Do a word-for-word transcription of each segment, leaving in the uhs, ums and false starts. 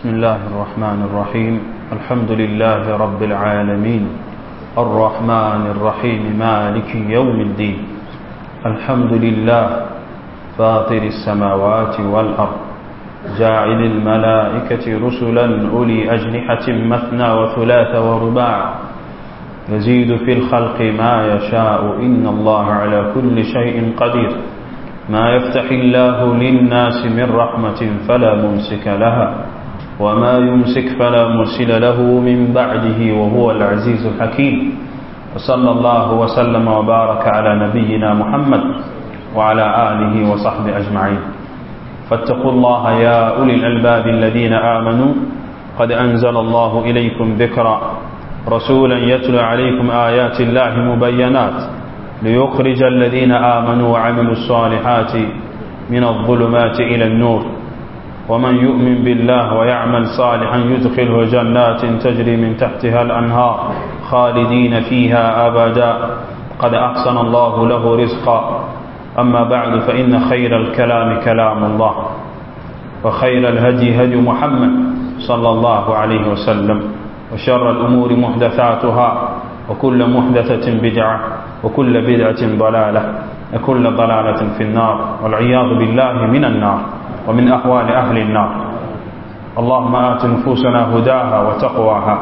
بسم الله الرحمن الرحيم الحمد لله رب العالمين الرحمن الرحيم مالك يوم الدين الحمد لله فاطر السماوات والأرض جاعل الملائكة رسلا أولي أجنحة مثنى وثلاث ورباع يزيد في الخلق ما يشاء إن الله على كل شيء قدير ما يفتح الله للناس من رحمة فلا ممسك لها وما يمسك فلا مرسل له من بعده وهو العزيز الحكيم وصلى الله وسلم وبارك على نبينا محمد وعلى آله وصحبه أجمعين فاتقوا الله يا أولي الألباب الذين آمنوا قد أنزل الله إليكم ذكرا رسولا يتلو عليكم آيات الله مبينات ليخرج الذين آمنوا وعملوا الصالحات من الظلمات إلى النور ومن يؤمن بالله ويعمل صالحا يدخله جنات تجري من تحتها الأنهار خالدين فيها أبدا قد أحسن الله له رزقا أما بعد فإن خير الكلام كلام الله وخير الهدي هدي محمد صلى الله عليه وسلم وشر الأمور محدثاتها وكل محدثة بدعة وكل بدعة ضلالة وكل ضلالة في النار والعياذ بالله من النار ومن أحوال أهل النار اللهم آت نفوسنا هداها وتقواها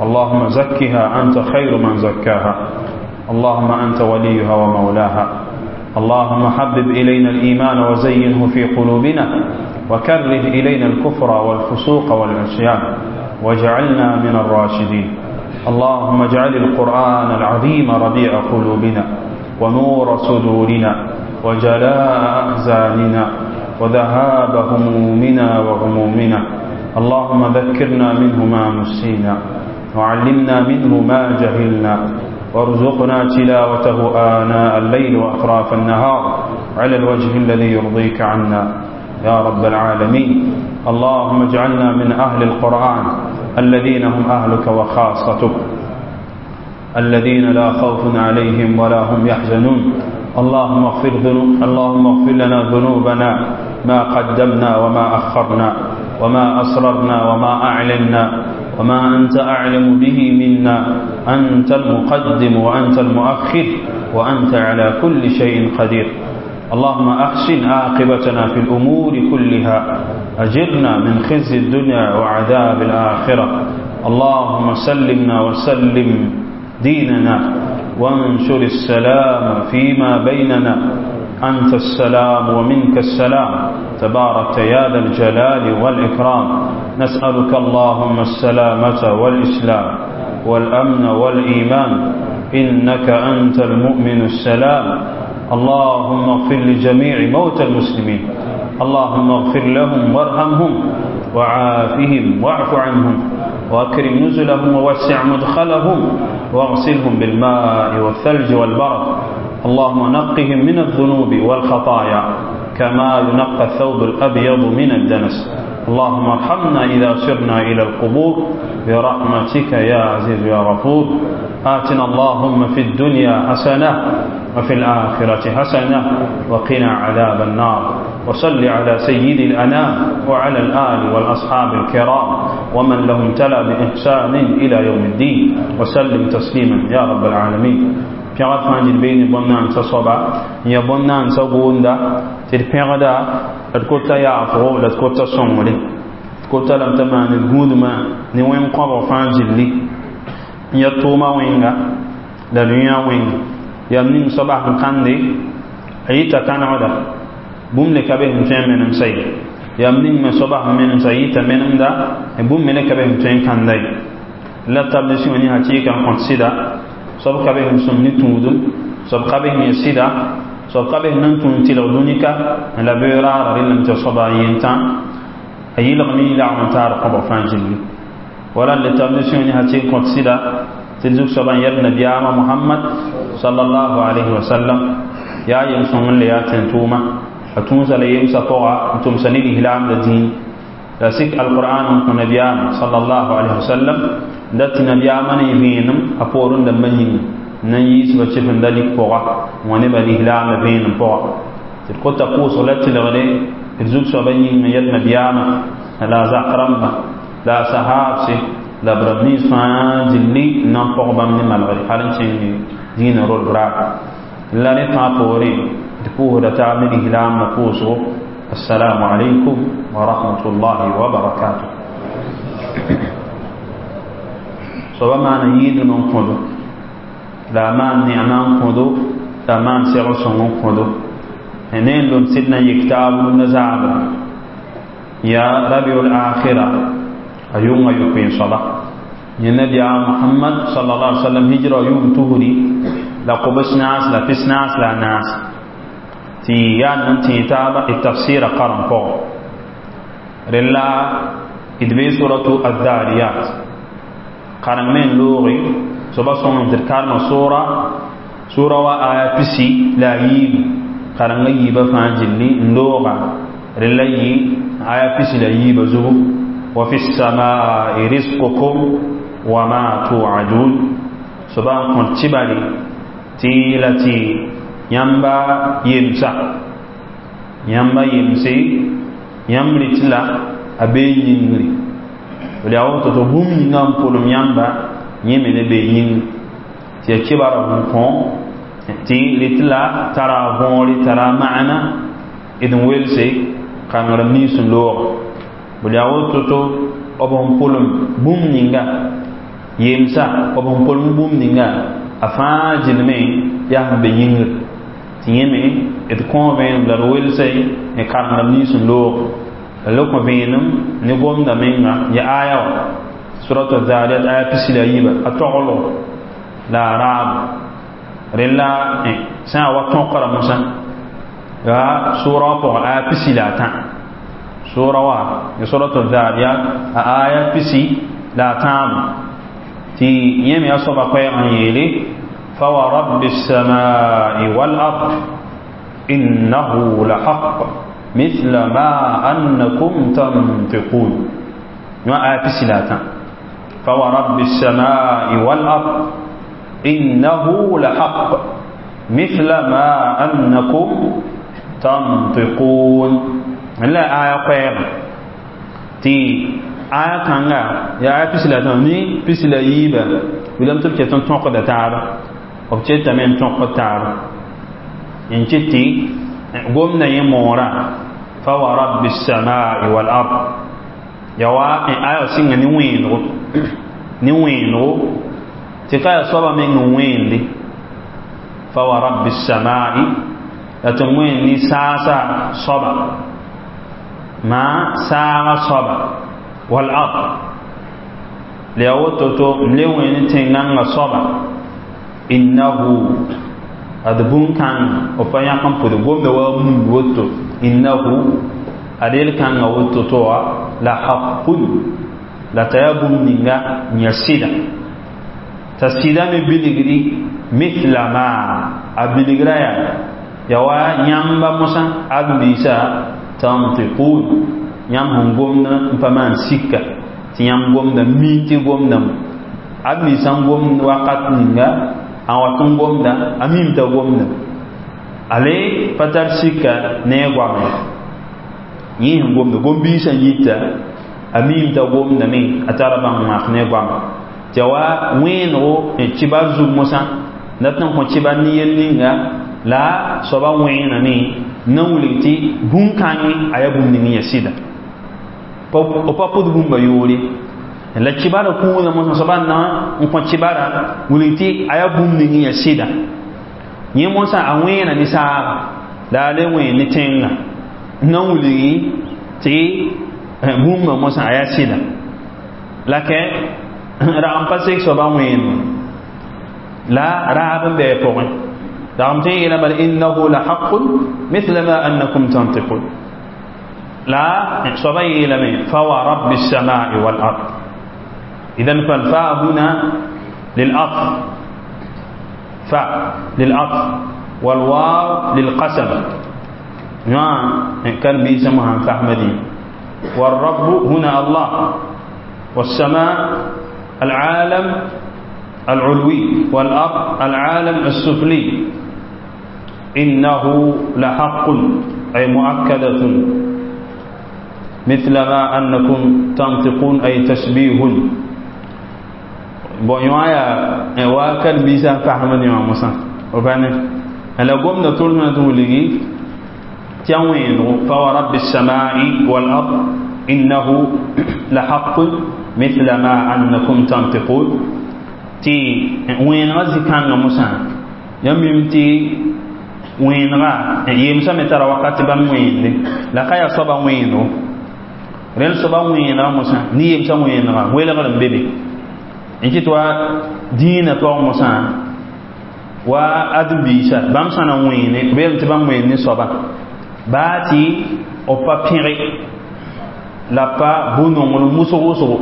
اللهم زكها أنت خير من زكاها اللهم أنت وليها ومولاها اللهم حبب إلينا الإيمان وزينه في قلوبنا وكره إلينا الكفر والفسوق والعصيان واجعلنا من الراشدين اللهم اجعل القرآن العظيم ربيع قلوبنا ونور صدورنا وجلاء أحزاننا وذهاب همومنا وغمومنا اللهم ذكرنا منه ما نسينا وعلمنا منه ما جهلنا وارزقنا تلاوته آناء الليل وأطراف النهار على الوجه الذي يرضيك عنا يا رب العالمين اللهم اجعلنا من أهل القرآن الذين هم أهلك وخاصتك الذين لا خوف عليهم ولا هم يحزنون اللهم اغفر ذنوب اللهم اغفر لنا ذنوبنا ما قدمنا وما أخرنا وما أسررنا وما أعلنا وما أنت أعلم به منا أنت المقدم وأنت المؤخر وأنت على كل شيء قدير اللهم أحسن عاقبتنا في الأمور كلها أجرنا من خزي الدنيا وعذاب الآخرة اللهم سلمنا وسلم ديننا وانشر السلام فيما بيننا أنت السلام ومنك السلام تباركت يا ذا الجلال والإكرام نسألك اللهم السلامة والإسلام والأمن والإيمان إنك أنت المؤمن السلام اللهم اغفر لجميع موتى المسلمين اللهم اغفر لهم وارحمهم وعافهم واعف عنهم وأكرم نزلهم ووسع مدخلهم واغسلهم بالماء والثلج والبرد اللهم نقهم من الذنوب والخطايا كما ينقى الثوب الأبيض من الدنس اللهم ارحمنا إذا سرنا إلى القبور برحمتك يا عزيز يا غفور آتنا اللهم في الدنيا حسنة وفي الآخرة حسنة وقنا عذاب النار وصل على سيد الأنام وعلى الآل والأصحاب الكرام ومن لهم تلا بإحسان إلى يوم الدين وسلم تسليما يا رب العالمين pẽgd fãa dɩd bee ne bõn-naandsã soaba n ya bõn-naandsã gʋʋnda tɩ d pẽgda la d kota yaafgo la d kota sõngre d kota lame t'a maan d gũudmã ne wẽn-kõbg fãa gilli n ya tʋʋma wẽnga la d yã wẽnga yam ning soaba sẽn kãnde a yita kãnegda bũmb le ka be sẽn tõe n menemsa ye yam ning me soaba sẽn menemsa a yita menemda bũmb me le ka be sẽn tõe n kãnda ye la tab ne sẽn ne hakɩɩka n kõt sɩda soab ka be sẽn sõm ne tũudum soab ka be sẽn yẽ sɩda soab ka be sẽn nan tũud tɩlg dũnika la beoog raara rẽllame tɩ soaba yentã a yɩlgme lagm n taar kõbg fãa gilli wala le tab ne sẽn ne hakɩɩk n kõt sɩda tɩ zug soaba n yɛl nabiyaamã Mohamad sallallahu alayhi wa sallam yaa yem sõng n le yaa tẽn-tʋʋma a tũusa la yemsã pʋga n tʋmsa ne lislaamda dĩin la sik alqur'an n kõ nabiyaamã sallallahu alayhi wa sallam dat tɩ nabiyaamã ne vẽenem a poorẽ dãmbã yĩnga n na n yiisba sɩf n da lik pʋga n wa nebã lislaamã vẽenem pʋga tɩ d kota pʋʋsg la tɩlgde d zug soabã yĩng n yɛl nabiyaamã La zak rãmba la a sahaabse la b rãmb nins fãa gilli n na n pɔg bãmb ne malgre hal n kẽng dĩinã rolg raar la rẽ fãa poorẽ d pʋʋsda taab ne lislaambã pʋʋsgo. Assalamu alaikum wa rahmatullahi wa barakatuh. Soaba maana yɩɩdem n kõdo la a maan neema n kõdo la a maan segl sõng n kõdo ne n lom sɩd na n yik taab rũndã zaabra ya rabiul akhira a yʋnga yopoe n soaba yẽ nabiyaam Muhammad sallallahu alaihi wasallam hijra yʋʋm tusri la kobs naas la pis naas la a naas tɩ yaa n tẽ taaba d tafsɩɩra karem pʋgẽ rella d bee suratu adhariyat kareng me n looge soaba sõngem tɩ d karema sʋra sʋra wa aya pisi la a yiibu karengã yiibã fãa gilli n looga rella yɩ aya pisi la yiibã zugu wa fi lsamai risqukum wa ma tuadun soaba n kõt tɩbare tɩ la tɩ yãmba yemsa yãmba yemse yãmb rɩt la a bee yĩngri b yaa woto tɩ bũmb yĩngã n pʋlem yãmba yẽ me ne bee yĩngri tɩ ya kibara n kõ tɩ rɩt la tara a võore tara a maana d n welse kãngrem nins n looga b yaa woto tɩ b sẽn pʋlem bũmb ninga yemsa b sẽn pʋlem bũmb ninga a fãa gilme yaa sẽn be yĩngr tɩ yẽ me d kõo vẽenem la d welse n kãngrem nins n loog la le kõ vẽenem ne gomda menga ya aya wã suratu zariyat aya pisi la yiiba a toglgo la a raabo rella sã n wa tõkra mosã ya sʋra wã pʋgã aya pisi la a tã sʋra wã ya suratu zariyat a aya pisi la a tãabo tɩ yẽ me a soaba koɛɛg n yeele فورب السماء والأرض إنه لحق مثل ما أنكم تنطقون فورب السماء والأرض إنه لحق مثل ما أنكم تنطقون لا آية قير تي آية كانغا يا آية بسلا ني بسلا ييبا ولم تبكي تنطق تابا b ketame n tõk taaba n ket tɩ gomda yẽ moorã fa wa rabbi lsamai walard ya wa n aya sɩnga ne wẽenego ne wẽenego tɩ ka yaa soaba meng n wẽende fa wa rabbi lsamai la tɩ wẽend ne saasa soaba maa saaga soaba walard la yaa woto to m le wẽend ne tẽn-gãngã soaba innahu ad bũn-kãngã b pa yãk n pʋd gomda wa mund woto innahu ad yel-kãngã woto to wã la haqun la t'a yaa bũmb ninga n yaa sɩda t'a sɩda me bilgri mithla ma a bilgra yaa ya wa yãmba mosã ad-biisã tantiqun yãmb sẽn gomd n pa maan sika tɩ yãmb gomda mi tɩ gomdame ad-biisã n gomd wakat ninga a wat n gomda a mim t'a gomda ale pa tar sika ne a goame yẽ sẽn gomda gom-biisã yita a mim t'a gomdame a tara bãng maak ne a goame tɩ ya wa wẽenego kibar zug mosã dat n kõ kibar ne yel ninga la soaba wẽename n na n wilg tɩ bũn-kãngẽ a yaa bũmb ning n yaa sɩda b pa pʋd bũmba yoore la kibara kũudã mosã soaba n na n kõ kibara wilg tɩ a yaa bũmb ning n yaa sɩda yẽ mosã a wẽena ne saaga la a le wẽen ne tẽngã n na n wilgi tɩ bũmba mosã a yaa sɩda la kɛ rag n pa sek soaba wẽenme la raab n bɩ a pʋgẽ rag n tõe n yeela bala innahu la haqun mithla ma annakum tantiqun la soaba yeelame fa wa rabbi lsamai walard إذن فالفاء هنا للعطف فاء للعطف والواو للقسم نعم كان بيسمها فحمدي والرب هنا الله والسماء العالم العلوي والأرض العالم السفلي إنه لحق أي مؤكدة مثل ما أنكم تنطقون أي تشبيه bon yõ yaa wa karen-biisã n fasmd yõ mosã b pa ne la gomda tʋlsmã tɩ wilgi tɩ a wẽenego fa wa rabbi السماء والأرض إنه لحق مثل ما أنكم تنطقون tɩ wẽenegã zĩ-kãngã mosã yãmb mim tɩ wẽenega yemsame tara wakat tɩ bãmb wẽende la ka yaa soaba wẽenego rẽnd soaba wẽenega mosã ne yemsã wẽenega welgr n be be n kɩt wa dĩinã pʋgẽ mosã wa ãdem-biisã bãmb sã na wẽene b yeelame tɩ bãmb wẽend ne soaba baa tɩ b pa pẽge la pa bʋ-nonglem wʋsg wʋsgo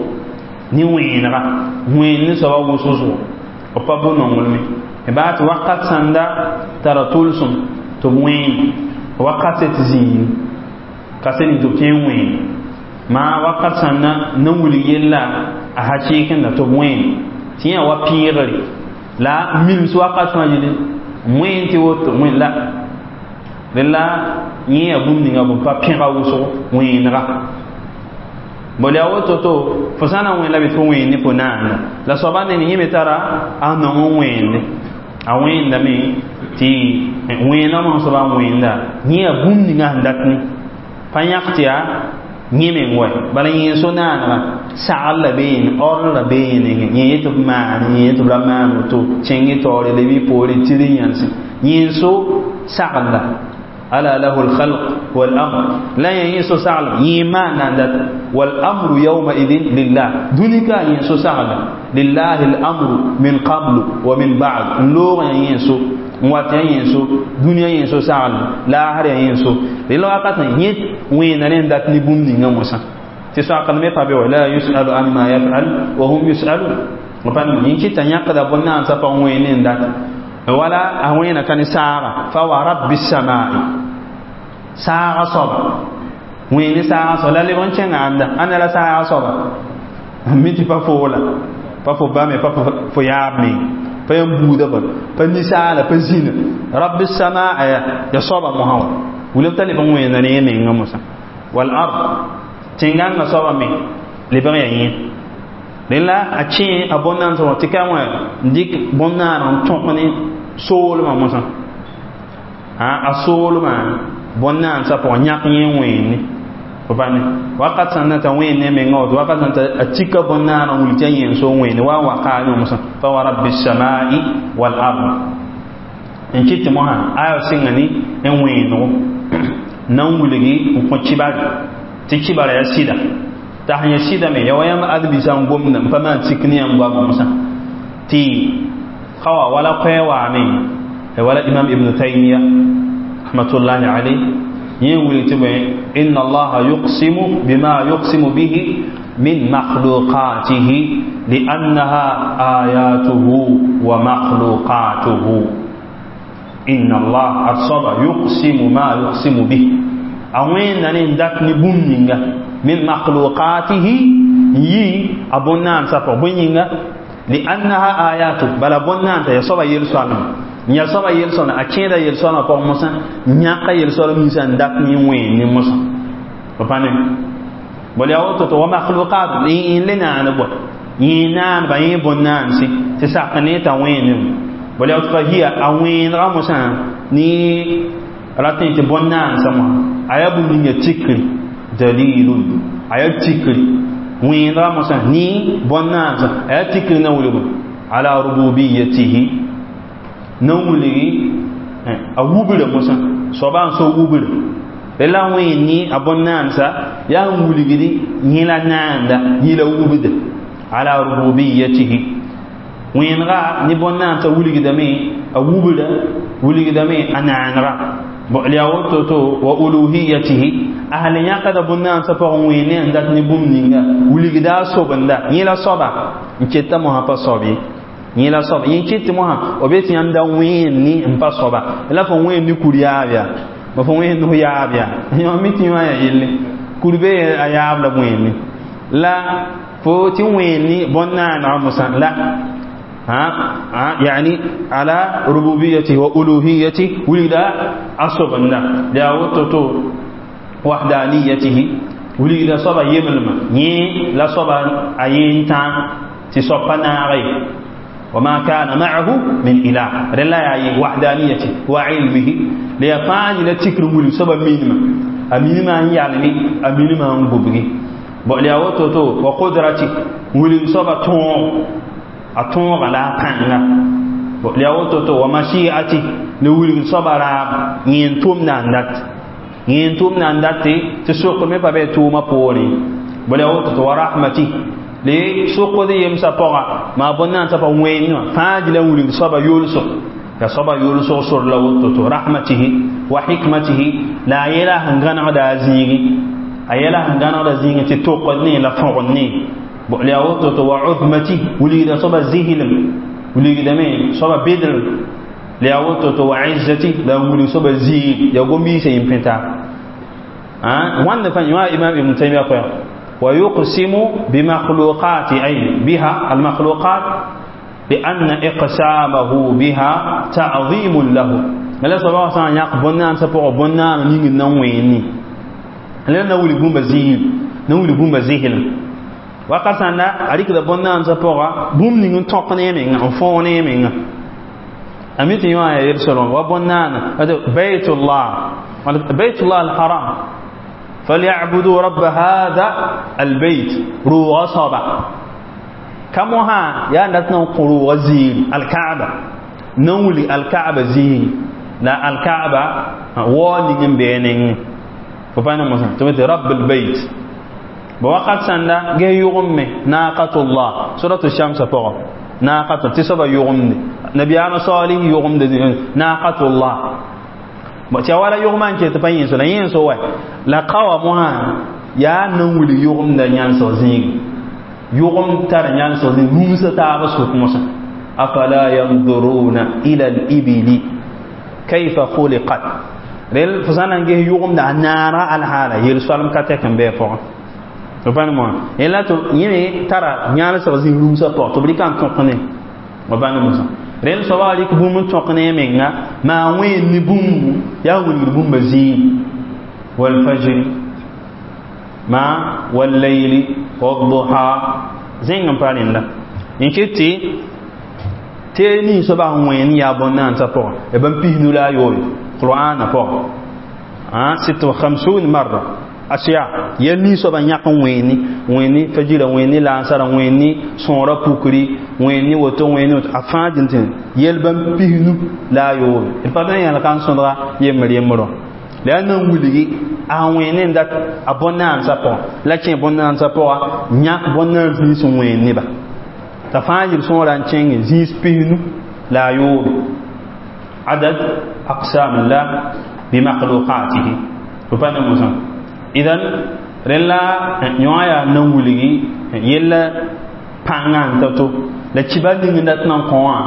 ne wẽenega wẽend ne soaba wʋsg wʋsgo b pa bʋ-nonglme baa tɩ wakat sãnda tara tʋlsem tɩ b wẽen wakat tɩ zĩig ka sẽn tɩ b tõe n wẽen maa wakat sãnda na wilg yella a hakɩɩkẽnda tɩ b wẽen tɩ yã wa pẽegre la mims wakat fãa yele wẽen tɩ woto wẽn la rela yẽ yaa bũmb ninga b pa pẽga wʋsgo wẽenega bol yaa woto to fo sã na n wẽen la be tɩ fo wẽen ne fo naanda la soaba neng yẽ me tara a nong n wẽende a wẽendame tɩ wẽenã mosã soaba n wẽenda yẽ yaa bũmb ninga sẽn dat ne pa yãk tɩ yaa yẽ meng wa bala yẽ so naanega sagl la beene or la beene yẽ yetɩ b maan yẽ yetɩ b ra maan woto kẽng y taoore leb y poore tɩr n yãnse yẽ so sagl la ألا له الخلق والأمر لا ينسو سعلا يمان دات والأمر يومئذ لله دونك ينسو سعلا لله الأمر من قبل ومن بعد لوغ ينسو wat ينسو دنيا ينسو سعلا لا هر ينسو لله وقت يت وين نين دات ني بوم نيغا موسى تي ساقل مي فابي ولا يسأل عما يفعل وهم يسألون وبان ينكي تنيقد بنا سفا وين دات ولا أوين كان ساعة فورب السماء saaga soaba wẽene saaga soaba la leb n kẽngã ãnda ãnda la saaga soaba mi tɩ pa foola pa fo ba me pa fo yaab me pa yãmb buudã bõe pa ninsaala pa zĩna rabbi samaa ya ya soaba mosã wa wilg t'a leb n wẽenda ne yẽ mengã mosã wal ard tẽn-gãngã soaba me lebg yaa yẽ rẽ la a kẽ a bõn-naans wã tɩ ka wã n dɩk bõn-naaneg n tõk ne soolmã mosã a soolmã bõn-naansã pʋgẽ yãk yẽ wẽenne fo pa ne wakat sãn na t'a wẽen ne mengã woto wakat sãn t'a a tika bõn-naaneg n wilg tɩ a yẽen so wẽene wa n wa kaame mosã fa wa rabbi samai wal ard n kɩt tɩ mosã aya sɩnga ne n wẽenego na n wilgi n kõ kibare tɩ kibara yaa sɩda t'a sẽn yaa sɩda me ya wa yãmb ãdem-biisã n gomda n pa maan sik ne yãmb goamã mosã tɩ ka wa wala koɛɛ waame wala imam ibn taymiya rahmatullahi alayh yẽ wilg tɩ bõe inna allaha yuqsimu bima yuqsimu bihi min makhluqatihi liannaha ayatuhu wa makhluqatuhu inna allah ad soaba yuqsimu ma yuqsimu bih a wẽnda ne n dat ne bũmb ninga min makhluqatihi n yi a bõn-naansã pʋgẽ bõe yĩnga liannaha ayatu bala bõn-naansa ya soaba yel-soalma n yaa soaba yel-sõna a kẽeda yel-soalmã pʋgẽ mosã n yãka yel-soalm ninsã n dat ne wẽen ne mosã b pa ne bol yaa woto tɩ wa makhluqat n le naand bõe yẽ naanba yẽ bõn-naanse tɩ sak ne t'a wẽenem bol yaa woto fa hiya a wẽenegã mosã ne ratẽ tɩ bõn-naansã mosã a yaa bũmb ninga tikri dalilun a yaa tikri wẽenegã mosã ne bõn-naansã a yaa tikri na wilg ala rububiyatihi na n wilgi a wubra mosã soaba n so wubra la wẽen ne a bõn-naansa yaa n wilgdi yẽ la naanda yẽ la wubda ala rububiyatihi wẽenega ne bõn-naansa wilgdame a wubra wilgdame a naanega yaa woto to wa uluhiyatihi a sã le yãkda bõn-naansa pʋgẽ wẽen ne n dat ne bũmb ninga wilgda a sobenda yẽ la soaba n keta mosã pa soab ye yẽ la soaba yẽ kɩt tɩ mosã b be tɩ yãmb da wẽen ne n pa soaba la fo wẽen ne kur yaab yaa ma fo wẽen ne fo yaab yaa yõ mi tɩ yõ yaa yelle kur be a yaab la wẽen la fo tɩ wẽen ne bõn-naanegã mosã la ها يعني على ربوبيته وألوهيته ولد أصبنا لا وتتو وحدانيته Wilgda soaba yemlmã yẽ la soaba a yeen tã tɩ soab pa naage. وما كان معه من إله. رلا يا وحدانيته وعلمه ليفاني لا تكر ولي سبب مينما أمينما يعلمي أمينما نغبغي بوليا وتوتو وقدرتي ولي سبب تون أتون على كان بوليا وتوتو ومشيئتي لولي سبب را ينتوم ناندات ينتوم ناندات تسوق مي بابي توما بوري بوليا وتوتو ورحمتي le sokd yemsã pʋga maa bõn-naandsã pa wẽnd wã fãa gila wilg soaba yʋlsg la soaba yʋlsg sor la woto to rahmatihi wa hikmatihi la a yɛla sẽn gãnegda a zĩigi a yɛla sẽn gãnegda zĩigi tɩ tokd ne la fõgd ne la yaa woto to wa uzmati wilgda soaba zɩslem wilgdame soaba bedrem la yaa woto to wa izzati la wilg soaba zĩig yaa gom-biisã yĩm pẽta wãnd fãa yõ imam Ibn Taymiya koɛɛg. ويقسم بمخلوقات أي بها المخلوقات لأن إقسامه بها تعظيم له. لا سبب سان يق بنان سبق بنان نين نويني لا نولي بوم زيل نولي بوم زيل وقسنا أريك بنان سبق بوم نين تقني من فوني من أميت يوم يرسلون وبنان هذا بيت الله بيت الله الحرام فليعبدوا رب هذا البيت روغ صبا كمها يا نتنا قروغ زين الكعبة نولي الكعبة زين لا الكعبة وانين بينين فبانا مثلا تمت رب البيت بوقت سنة جه يغمي ناقة الله سورة الشمس فوق ناقة تسبا يغمي نبي أنا صالح يغمي ناقة الله tɩ wala yʋgmã n ket pa yẽnso la yẽnso wa la ka wã mosã yaa nan wilg yʋgemda yãnsg zĩigi yʋgem tar yãnsg zĩig rũmsa taab sʋk mosã afala yanzuruna ila al-ibili kayfa khuliqat rel fo sã na n ges yʋgemda a naara alhaala yel-soalem ka tɛk n bɩ a pʋgẽ fo pa ne moã yẽla tɩ yẽ me tara yãlsg zĩig rũmsã pʋgẽ tɩ b rɩka n tõk ne fo pa ne mosã rẽnd soaba rɩk bũmb n tõk ne a menga maa wẽnd ne bũmbu yaa wilgd bũmba zĩig walfajri ma wallayli wadduha zẽng n pa rẽnda n ket tɩ tee ning soaba sẽn wẽnd yaa bõn-naandsã pʋgẽ ya bãmb pisnu la a yoobe qur'aana pʋgẽ sitta wa khamsun marra asiya yɛl ning soaba yãk n wẽeni wẽni fajira wẽni laasara wẽni sõora pukri wẽni woto wẽni woto a fãa dĩn tɩ yɛl bãmb pisnu la a yoobe d pa tõe n yãl ka n sõdga yembr yembrõ la yaa nan wilgi a wẽne n dat a bõn-naandsã pʋgẽ la kẽ bõn-naandsã pʋga yãk bõn-naans nins n wẽen neba t'a fãa yel sõora n kẽnge zĩis pisnu la a yoobe adad aqsam llah bimakhluqatihi fo pa ne mosã idan rẽn la yõ yaa nan wilgi yella pãngã n ta-to la kibar ning n dat nan kõ wã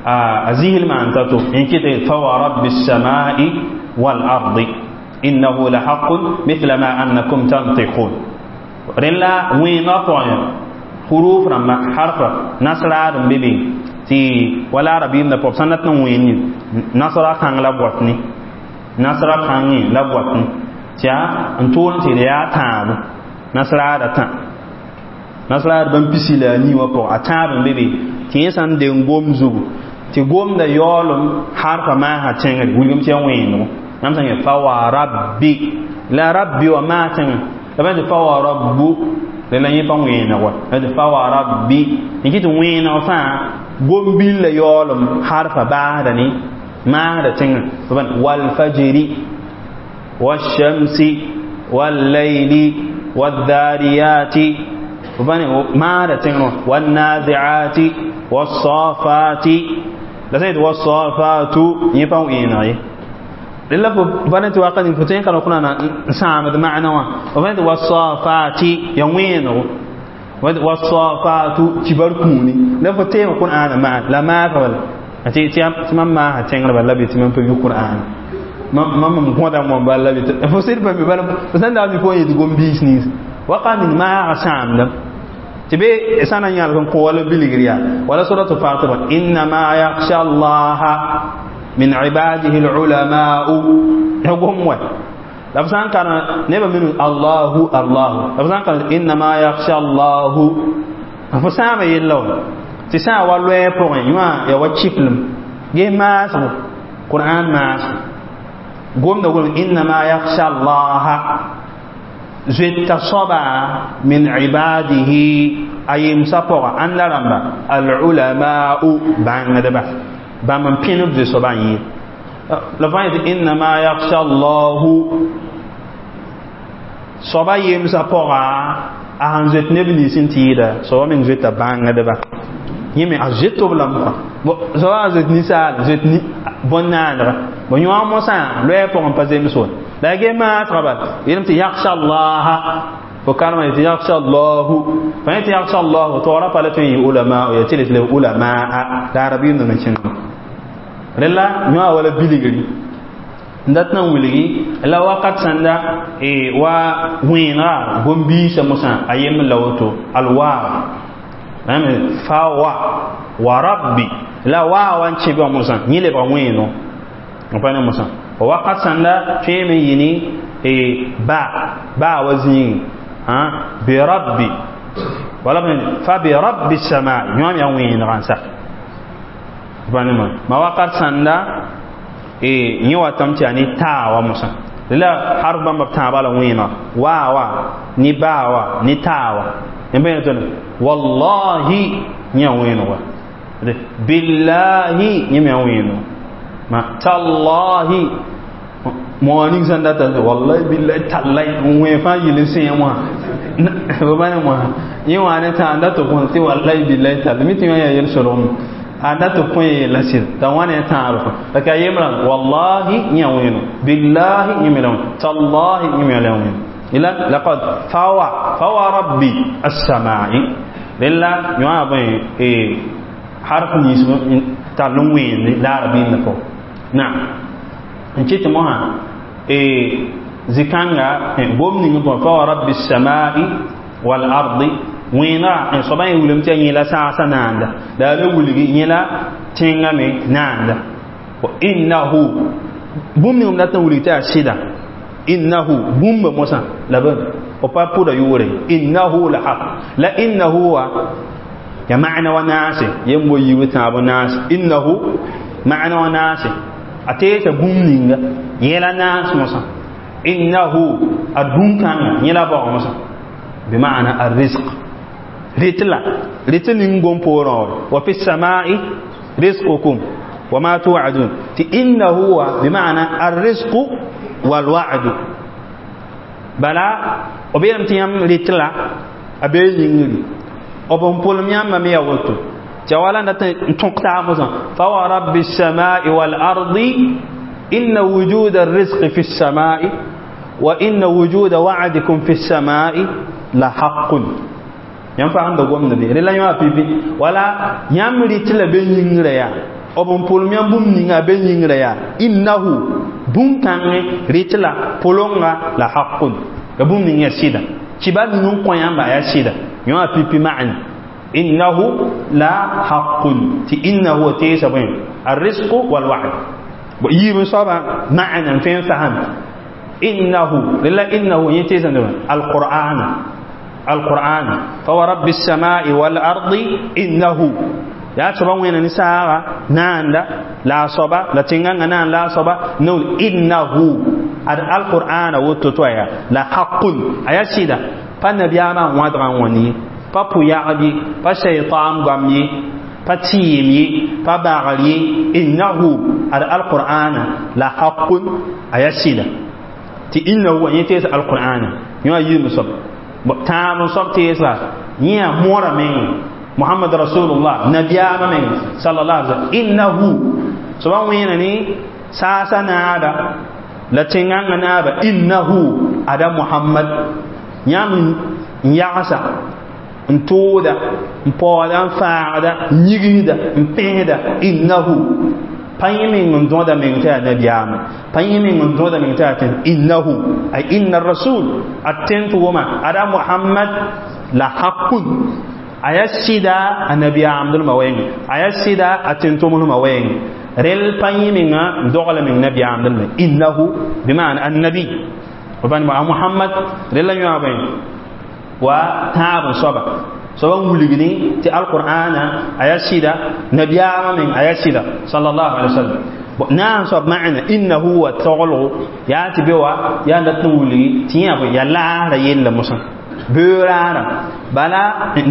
a zɩslmã n ta-to n kɩt fa wa rabbi samai wal ardi innahu la haqun mithla ma annakum tantiqun rẽn la wẽenã pʋgẽ huruf rãmba harfa nasraad n be be tɩ wala arabiimdã pʋg sã n dat n wẽen nasra kãng la b wat ne nasra kãngẽ la b wat ne tɩ yaa n tʋʋl tɩ yaa tãabo nasraada tã nasraad bãmb pisi la a nii wã pʋgẽ a tãab n be be tɩ yẽ sã n deng gom zugu tɩ gomda yaoolem harfa maasã tẽngre wilgem tɩ ya wẽendgo yãmb sã n yẽ fa wa rabbi la rabbi wã maa tẽngã la pa tɩ fa wa rabbu la yẽ pa wẽeneg wa la tɩ fa wa rabbi n kɩ tɩ wẽeneg fãa gom-billa yaoolem harfa baasda ne maasda tẽngã walfajri والشمس والليل والذاريات ما تنغنو والنازعات والصافات لا سيد والصافات يفاو إيناي لله فبنت واقد فتين كانوا كنا نسامد معنا وبنت والصافات يوينو والصافات تبركوني لا فتين كون أنا مع لا ما قبل أتي تيام تمام ما تنغنو بلا بيت من في القرآن mam gõda mo bala la bɩ fo sɩd pa mi bala fo sẽn daa mi fo yetɩ gom-biis nins waka ning maaga sãamda tɩ be sã na n yãlg n kõ wala bilgr yaa wala suratu Fatir innama yakhsha allaha min ibadihi lulamau ya gom wa La f sã n karem nebã min Allahu Allahu la f sã n karem innama yakhsha Allahu f sãama yella wã tɩ sã n wa loɛɛ pʋgẽ yõa ya wa kiklem ges maasgo Qur'an maasgo gomda gom innama yakhsha Allaha zoeta soaba min ibadihi a yemsã pʋga ãnda rãmba al-ulama'u bãngdba bãmb n pẽneb zoe soaba n yɩɩd la fãa yetɩ innama yakhsha Allahu soaba yemsã pʋga a sẽn zoet neb nins n tɩɩda soaba meng zoeta bãngdba yẽ me a zoet b lame kõ soaba a zoet ninsaal zoet bõn-naanega bõ yõ mosã loɛɛ pʋgẽ pa zems wã la ya ges maasga bal yeelame tɩ yakhsha Allaha fo karema yetɩ yakhsha Allahu fa yetɩ yakhsha Allahu taoora pa la tõe n yɩ ulama ya tɩ le ulamaa la arabiim me kẽngame rẽla yõa wala bilgri n dat na n wilgi la wakat sãnda wa wẽenega gom-biisã mosã a yembr la woto alwaaw fa wa wa rabbi la waa wa n kẽb wã mosã yẽ lebga wẽeno n pa ne mosã wakat sãnda tõeme n yɩ ne ba baa wa zĩigi bi rabbi wala fa bi rabbi samaa yõam yaa wẽenega n sak pa ne ma wakat sãnda yẽ watame tɩ yaa ne taa wa mosã la harf bãmba b tãabã la wẽenega waa wa ne baa wa ne taa wa yãmb pa yẽ wallahi yẽ yaa wẽeneg wa billahi yẽ me yaa wẽeneg ma tallahi moa ning sẽn data wallahi billahi tallahi n wẽ fãa yɩl n sẽe wã b pa ne moa yẽ wã ne tã n dat b kõ tɩ wallahi billahi tallahi mi tɩ yõ yaa yel-solgem a dat b kõ yeella sɩd t'a wã ne tãab la ka yembrã wallahi yẽ yaa wẽeno billahi yẽ me la wẽn tallahi yẽ me la wẽen ila laqad fawa fawa rabbi as-samai rẽla yõa bõe harf nins tall n wẽende la arabiimdã pʋgẽ naam n kɩt mosã zikãnga gom ning pʋgẽ fa wa rabbi as-samai wal ardi wẽenega soaba yẽ wilame tɩ yaa yẽla saasã naanda la a le wilgi yẽla tẽngã me naanda innahu bũmb ning b dat n wilg tɩ yaa sɩda innahu bũmba mosã la b pa pʋda yʋʋre innahu la haq la innahu wa ya ma'na wa naase yem bo yiib tãab naase innahu ma'na wa naase a teesa bũmb ninga yẽla naas mosã innahu ad bũn-kãngã yẽla baoog mosã bima'na arrizq ritla rit ning gom poorẽ wa fi samai rizqukum wa ma tu'adun tɩ innahu wa bima'na arrizqu walwa'du bala b yeelame tɩ yãmb rɩtla a bee yĩngri b n pʋlem yãmbã me yaa woto tɩ ya wala n dat n tõk taab mosã fa wa rabbi الsamai walardi inna wujuda الrizqi fi الsamai wa inna wujuda wa'dikum fi الsamai la haqqun yãmb fagemda gomda be rela yõ a pipi wala yãmb rɩtla be yĩngrã yaa b n pʋlem yãmb bũmb ninga be yĩngrã yaa innahu bũn-kãngẽ rɩtla pʋlenga la haqqun la bũmb ning yaa sɩda kibar ning n kõ yãmba yaa sɩda yõ a pipi ma'na innahu la haqqun tɩ innahu teesa bõe arrizqu walwa'd yiib n soaba ma'na n tõe n fasem innahu rela innahu yẽ teesa alqur'ana القرآن فورب السماء والأرض إنه يا soba wẽna ne saaga naanda la a soaba la tẽngãngã naan la a soaba nool innahu ad alqur'ana woto to aya la haqqun aya sɩda pa nabiyaamã wãdgã n wãn ye pa pʋ-yagb ye pa shaytan goam ye pa tɩɩm ye pa bagr ye innahu ad alqur'ana la haqqun aya sɩda tɩ innahu wa yẽ tees alqur'ana yõ a yiim soab tãab n soab teesga yẽ yaa moorã meng محمد رسول الله نبيama meng sallallahu alaihi wasallam innahu soaba wẽna ne saasa naaba la tẽngãngã naaba innahu ada muhammad yãmb n yagsa n tooda n paooda n faagda n yigsda n pẽsda innahu pa yẽ meng n dõda meng tɩ yaa nabiyaama pa yẽ meng n dõda meng tɩ yaa tẽn innahu ay inna rasul a tẽn tɩ wʋma ada muhammad la haqqun a yaa sɩda a nabiyaamdlmã wɛɛngẽ a yaa sɩda a tẽn-tʋmsmã wɛɛngẽ rel pa yẽ menga n dogla meng nabiyaamdlmã innahu bima'na annabi Muhammad rela yõ bõe wa tãab n soaba soaba n wilgdẽ tɩ alqur'ana a yaa sɩda nabiyaamã meng a yaa sɩda sallallahu alaihi wasallam naam soab maana innahu wa taglgo yaa tɩ be wa yaa dat n wilgi tɩ yã bõe yaa laasra yella mosã beoraara bala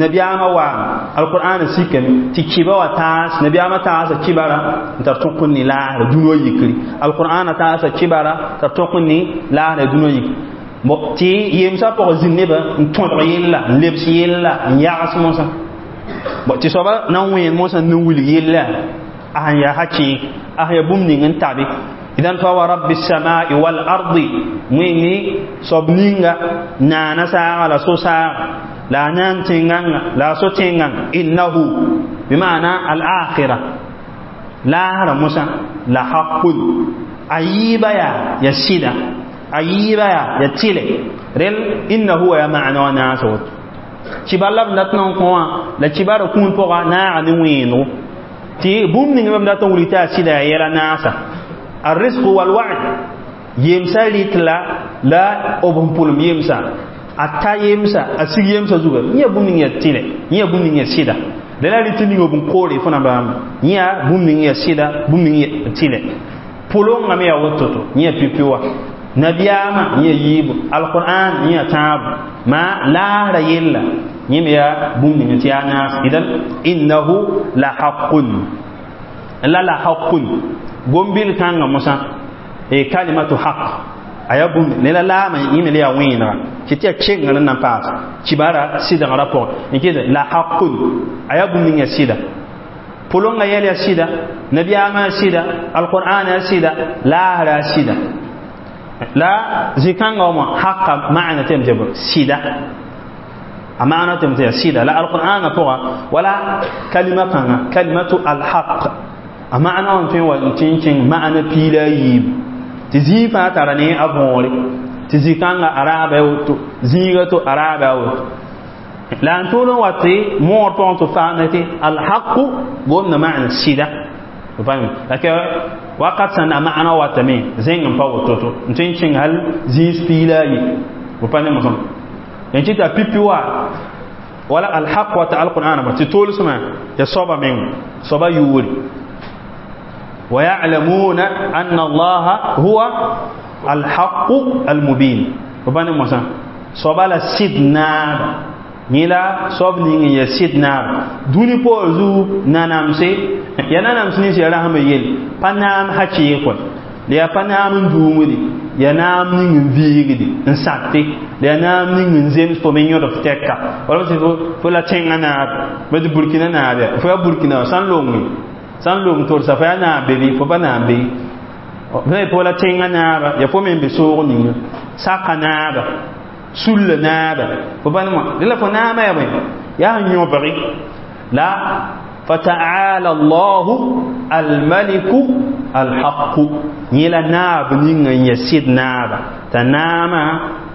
nabiyaamã waame alqur'ana sikame tɩ kiba wa taas nabiyaamã taasa kibara n tar tõk n ne laasra dũni wã yikri alqur'ana taasa kibara tar tõk n ne laasra dũni wã yikri tɩ yemsã pʋgã zĩnd nebã n tõdg yella n lebs yella n yags mosã tɩ soaba na n wẽen mosã n wilg yella a sẽn yaa hakɩɩk a sẽn yaa bũmb ning n tabe idan fa wa rabbi samai wal ardi wẽnge soab ninga naana saaga la so-saaga la a naan tẽngãnga la a so tẽngãng innahu bima'ana al akhira laasra mosã la haqun a yiiba yaa ya sɩda a yiiba yaa ya tɩlɛ rel innahu wa ya ma'ana wa naasa woto kibar la b dat n kõ wã la kibara kũun pʋga naaga ne wẽenego tɩ bũmb ning b dat n wilg tɩ a sɩda yaa yɛla naasa الرزق والوعد يمسا ريتلا لا أبهم بولم يمسا أتا يمسا أسير يمسا زوجا نيا بوم نيا تيله نيا بوم نيا سيدا لا ريت نيا بوم كوري فنا بام نيا بوم نيا سيدا بوم نيا تيله بولون نمي أوتوتو نيا بيبيوا نبياما نيا يب القرآن نيا تاب ما لا ريلا نيا بوم نيا تيانا إذن إنه لحق لا لحق gombil kãngã mosã e kalimatu haq a yaa bũmb ne la laamã yẽme la yaa wẽenega tɩ tɩ yaa kengr n na n paas kibara sɩdgrã pʋgẽ n kɩt la haqun a yaa bũmb ning yaa sɩda pʋlongã yɛl yaa sɩda nabiyaamã yaa sɩda alqur'ana yaa sɩda laasra yaa sɩda la zĩ-kãngã wã haqa maana tɩ yam tɩ sɩda a maana tɩ yam tɩ yaa sɩda la alqur'ana pʋga wala kalima kãngã kalimatu alhaq a maana wã tõe wa n tɩ n kẽng maana piila a yiib tɩ zĩig fãa tara ne a võore tɩ zĩ-kãngã a raaba a woto zĩiga to a raaba a woto la n tʋʋl n wa tɩ moor pʋgẽ tɩ faamda tɩ alhaqu gomda maana sɩda la wakat sẽn a maana watame zẽng n pa woto-to n tõe n kẽng hal zĩis piila a yi b pa ne mosem n kɩ t'a pipi wa wala alhaq wata alqur'ana tɩ tolsmã ya soaba meng soaba yʋʋre ويعلمون أن الله هو الحق المبين وبني موسى صبالا سيدنا نيلا صب نين يا سيدنا دوني بوزو نانامسي يا نانامسي نيسي رحم يل بنام حكي يكون ليا بنام دومدي يا نام نين فيغدي نساتي ليا نام نين زيمس فمن يورف تكا ولا فو لا تشينغا ناب بد بوركينا ناب فو بوركينا سان لونغي sãn long torsa fo yaa naab be bɩ fo pa naab be ne fo la tẽngã naaba ya fo me n be soog ninga saka naaba sulla naaba fo pa nemã dẽ la fo naamã yaa bõe yaa sẽn yõbgi la fataala allahu almaliku alhaqu yẽ la naab ninga n ya sɩd naaba t'a naamã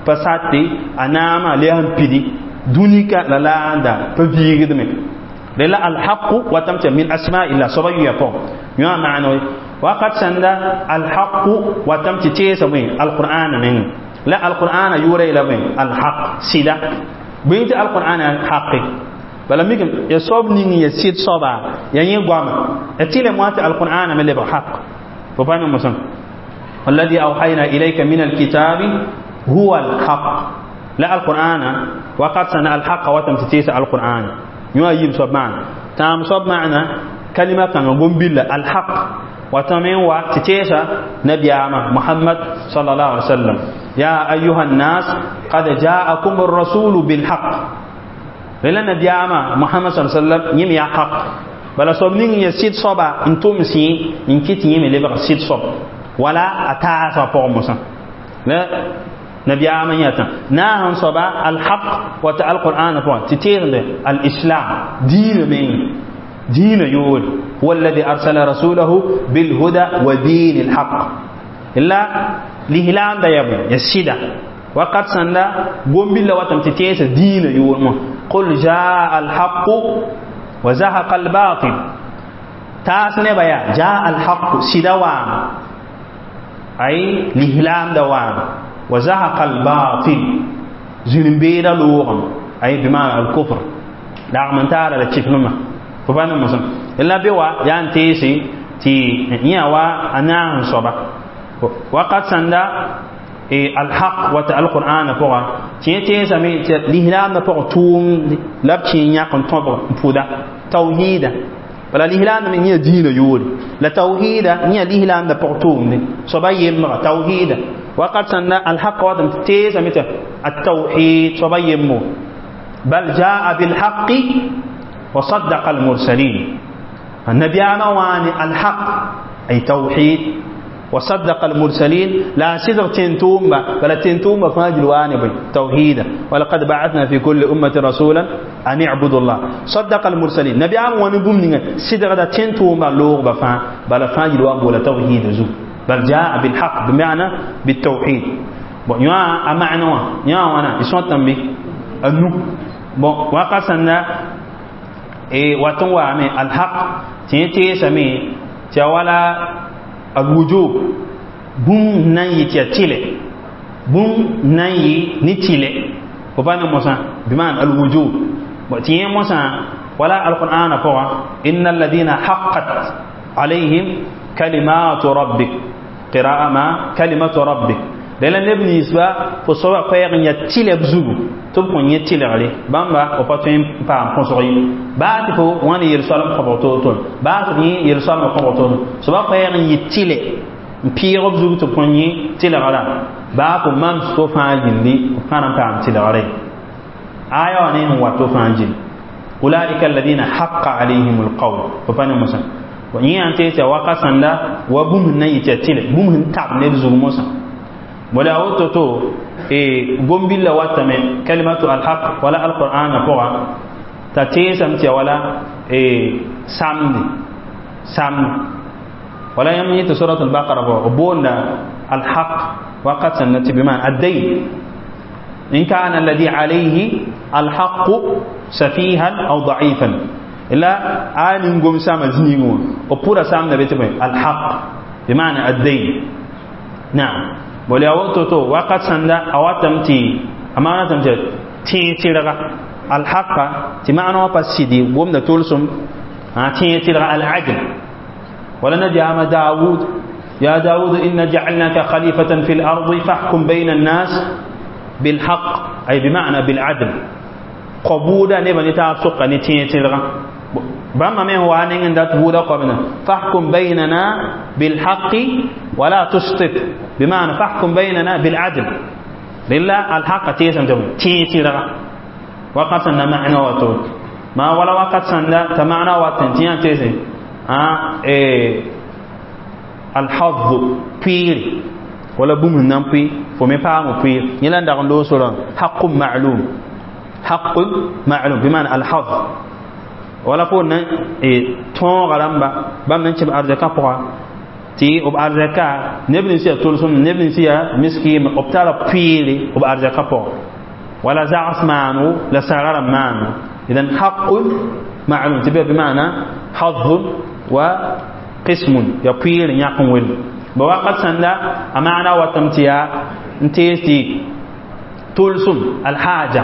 pa sate a naamã la yaa sẽn pidi dũnika la laanda pa viigdme للا الحق وتمت من أسماء الله صبي يقوم يا معنى وقد سند الحق وتمت تيس من القرآن من لا القرآن يوري إلى من الحق سيدا بنت القرآن حق بل ميكم يصوب نين يسيد صبا يعني قام أتيل موات القرآن من اللي حق فبان مسلم والذي أوحينا إليك من الكتاب هو الحق لا القرآن وقد سند الحق وتمت تيس القرآن يوا يب صب معنا تام صب معنا كلمة كان قم الحق وتمين وتتيسا نبي محمد صلى الله عليه وسلم يا أيها الناس قد جاءكم الرسول بالحق لأن نبي محمد صلى الله عليه وسلم يم يا حق بل صب نين يسيد صبا انتم سي إن كنت يم لبغ سيد صب ولا أتاسا فوق لا نبي آمن يتا ناهن صبا الحق وتع القرآن فوق تتيغ الإسلام دين من دين يقول هو الذي أرسل رسوله بالهدى ودين الحق إلا لهلام دا يبو يسيدا وقد سندا قم بالله وتم تتيس دين يقول قل جاء الحق وزهق الباطل تاس نبيا جاء الحق سيدا وام أي لهلام دوام وزهق الباطل زين بيدا لوغم أي بمعنى الكفر لا من تارا لا تشفنما فبانا مسلم إلا بوا يانتيسي تي نيوا أنا صبا وقد سندا الحق وتا القرآن فوق تي تي سامي لهلام فوق توم لبتي نيا كن توب بودا توحيد ولا لهلام من نيا دين يول لا توحيد نيا لهلام فوق توم صبا يم توحيد وقد سندا الحق وتا تي سامي التوحيد صبا يمو بل جاء بالحق وصدق المرسلين النبي أمواني الحق أي توحيد وصدق المرسلين لا سيدر تنتوم بل تنتوم فاجل وانبي توحيدا ولقد بعثنا في كل أمة رسولا أن اعبدوا الله صدق المرسلين نبي أمواني بومني سيدر دا تنتوم لوغ بفا بل فاجل وانبو توحيد زو بل جاء بالحق بمعنى بالتوحيد bon يا أمعنى يا وانا يسوان تنبي أنو bon وقسنا e waton wa me alhaq tɩ same tɩ ya wala alwujub bũmb nan yɩ tɩ ya tɩlɛ bũmb nan yɩ ne tɩlɛ fo pa ne mosã bimaan alwujub tɩ yẽ mosã wala alqur'ana pʋga inna alladina haqqat alayhim kalimatu rabbik qira'a ma kalimatu rabbik la neb ninsba fo soaba koɛɛg n yaa tɩlɛ b zugu tɩ b kõn yẽ tɩlgre bãmba b pa tõe n paam põsg ye baa tɩ fo wãn yel-soalem kõbg toor-toor baa tɩ yẽ yel-soalem kõbg toor soaba koɛɛg n yɩ tɩlɛ n pɩɩg b zugu tɩ b kõn yẽ tɩlgra baa fo mam fo fãa yĩndi b kãra n paam tɩlgre aya wã ne n wat fo fãa jil ulaika alladina haqa alayhim alqawl fo pa ne mosã yẽ yã n tees tɩ waka sãnda wa bũmb sẽn na n yɩ tɩ ya tɩlɛ bũmb sẽn tab ned zug mosã ولا وتتو إيه قم بالله واتم كلمة الحق ولا القرآن فوق تتيسم تي ولا إيه سامد سامد ولا يمني سورة البقرة بونا الحق وقت سنة بما الدين إن كان الذي عليه الحق سفيها أو ضعيفا إلا آل قم سام زنيون وبورا سام نبيت الحق بمعنى الدين نعم bole a woto to wakat sãnda a watame tɩ a maanatame tɩ tẽeg tɩrga alhaqa tɩ maana wã pa sɩdi gomda tolsem tẽeg tɩrga al'adl wala nabiyaamã daawud يا داود إنا جعلناك خليفة في الأرض فاحكم بين الناس بالحق أي بمعنى بالعدل قبولا نبا نتاب سقا نتين تلغا بما من هو أن دات بودا قبنا فاحكم بيننا بالحق ولا تشطط بمعنى فاحكم بيننا بالعدل لله الحق تيسم تبو تيتي وقت سنة معنى وتوت ما ولا وقت سنة تمعنى وتنتين تيسم آه إيه الحظ بير ولا بوم نام بي فمي با بير يلان داغ لو سورا حق معلوم حق معلوم بمعنى الحظ wala fo na tõoga rãmba bãmb nan kẽb arzɛka pʋga tɩ b arzɛka neb nins yaa tolsem neb nins yaa miskiime b tara pʋɩɩre b arzɛka pʋga wala zags maano la saga rãmb maano idan haqun ma'lum tɩ bɩ bɩmaana hazun wa qismun ya pʋɩɩr yãk n wel ba wakat sãnda a maana watame tɩ yaa n tees tɩ tolsem alhaja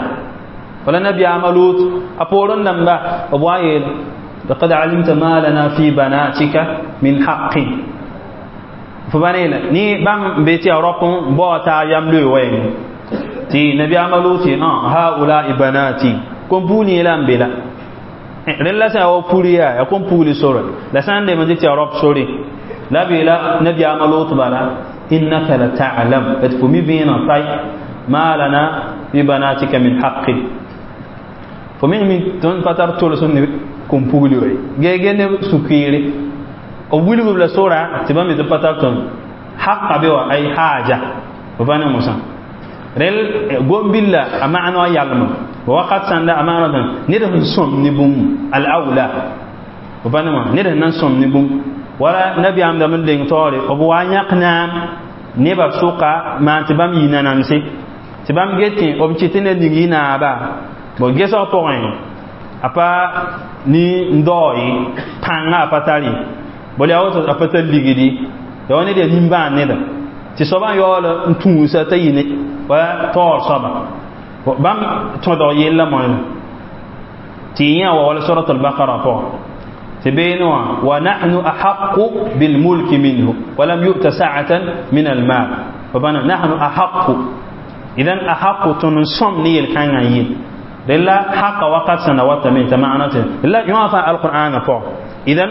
ولا نبي عملوت أبورن لما أبوائل لقد علمت ما لنا في بناتك من حق فبنينا ني بام بيتي أوروبا بوتا يملو وين تي نبي عملوت آه هؤلاء بناتي كم بوني لام بلا رلا سا أو بوليا يكون بولي سورة لا سان دي من تي أوروب سوري لا بلا نبي عملوت بلا إنك لتعلم تفهمي بينا طيب ما لنا في بناتك من حق fo mi mi tõnd pa tar tolsem ne kom-pugli wa ye ge ne sũ-kiire b wilgb la sora tɩ bãmb tɩ pa tar tõnd haqa be wa ay haja fo pa ne mosã rel gom-billa a maana wã yalma wakat sãnda a maana wã ned sẽn sõm ne bũmb al awla fo pa ne wã ned sẽn na n sõm ne bũmb wala nabiyaam dame n leng taoore b wa yãk naam nebã sʋka maan tɩ bãmb yɩ nanamse tɩ bãmb get b kɩt tɩ ned ning yɩ naaba bon gesg pʋgẽ a pa ni n dao ye pãngã a pa tar ye bala yaa woto a pa tar ligdi ya wa ned yaa nimbãan neda Tɩ soabã yaool n tũusa t'a yɩ ne wa taoor soaba bãmb tõdg yella moẽ tɩ yẽ wa wala surat al-baqara pʋgã tɩ beene wã wa nahnu ahaqu bilmulki minhu walam yu'ta sa'atan min almal. Bana nahnu ahaqu, idan ahaqu tõnd n sõm ne yel-kãngã yɩl rella haqa wakat sẽn na watame t'a maana tɩ la yõ fãa alqur'ana pʋgã. Idan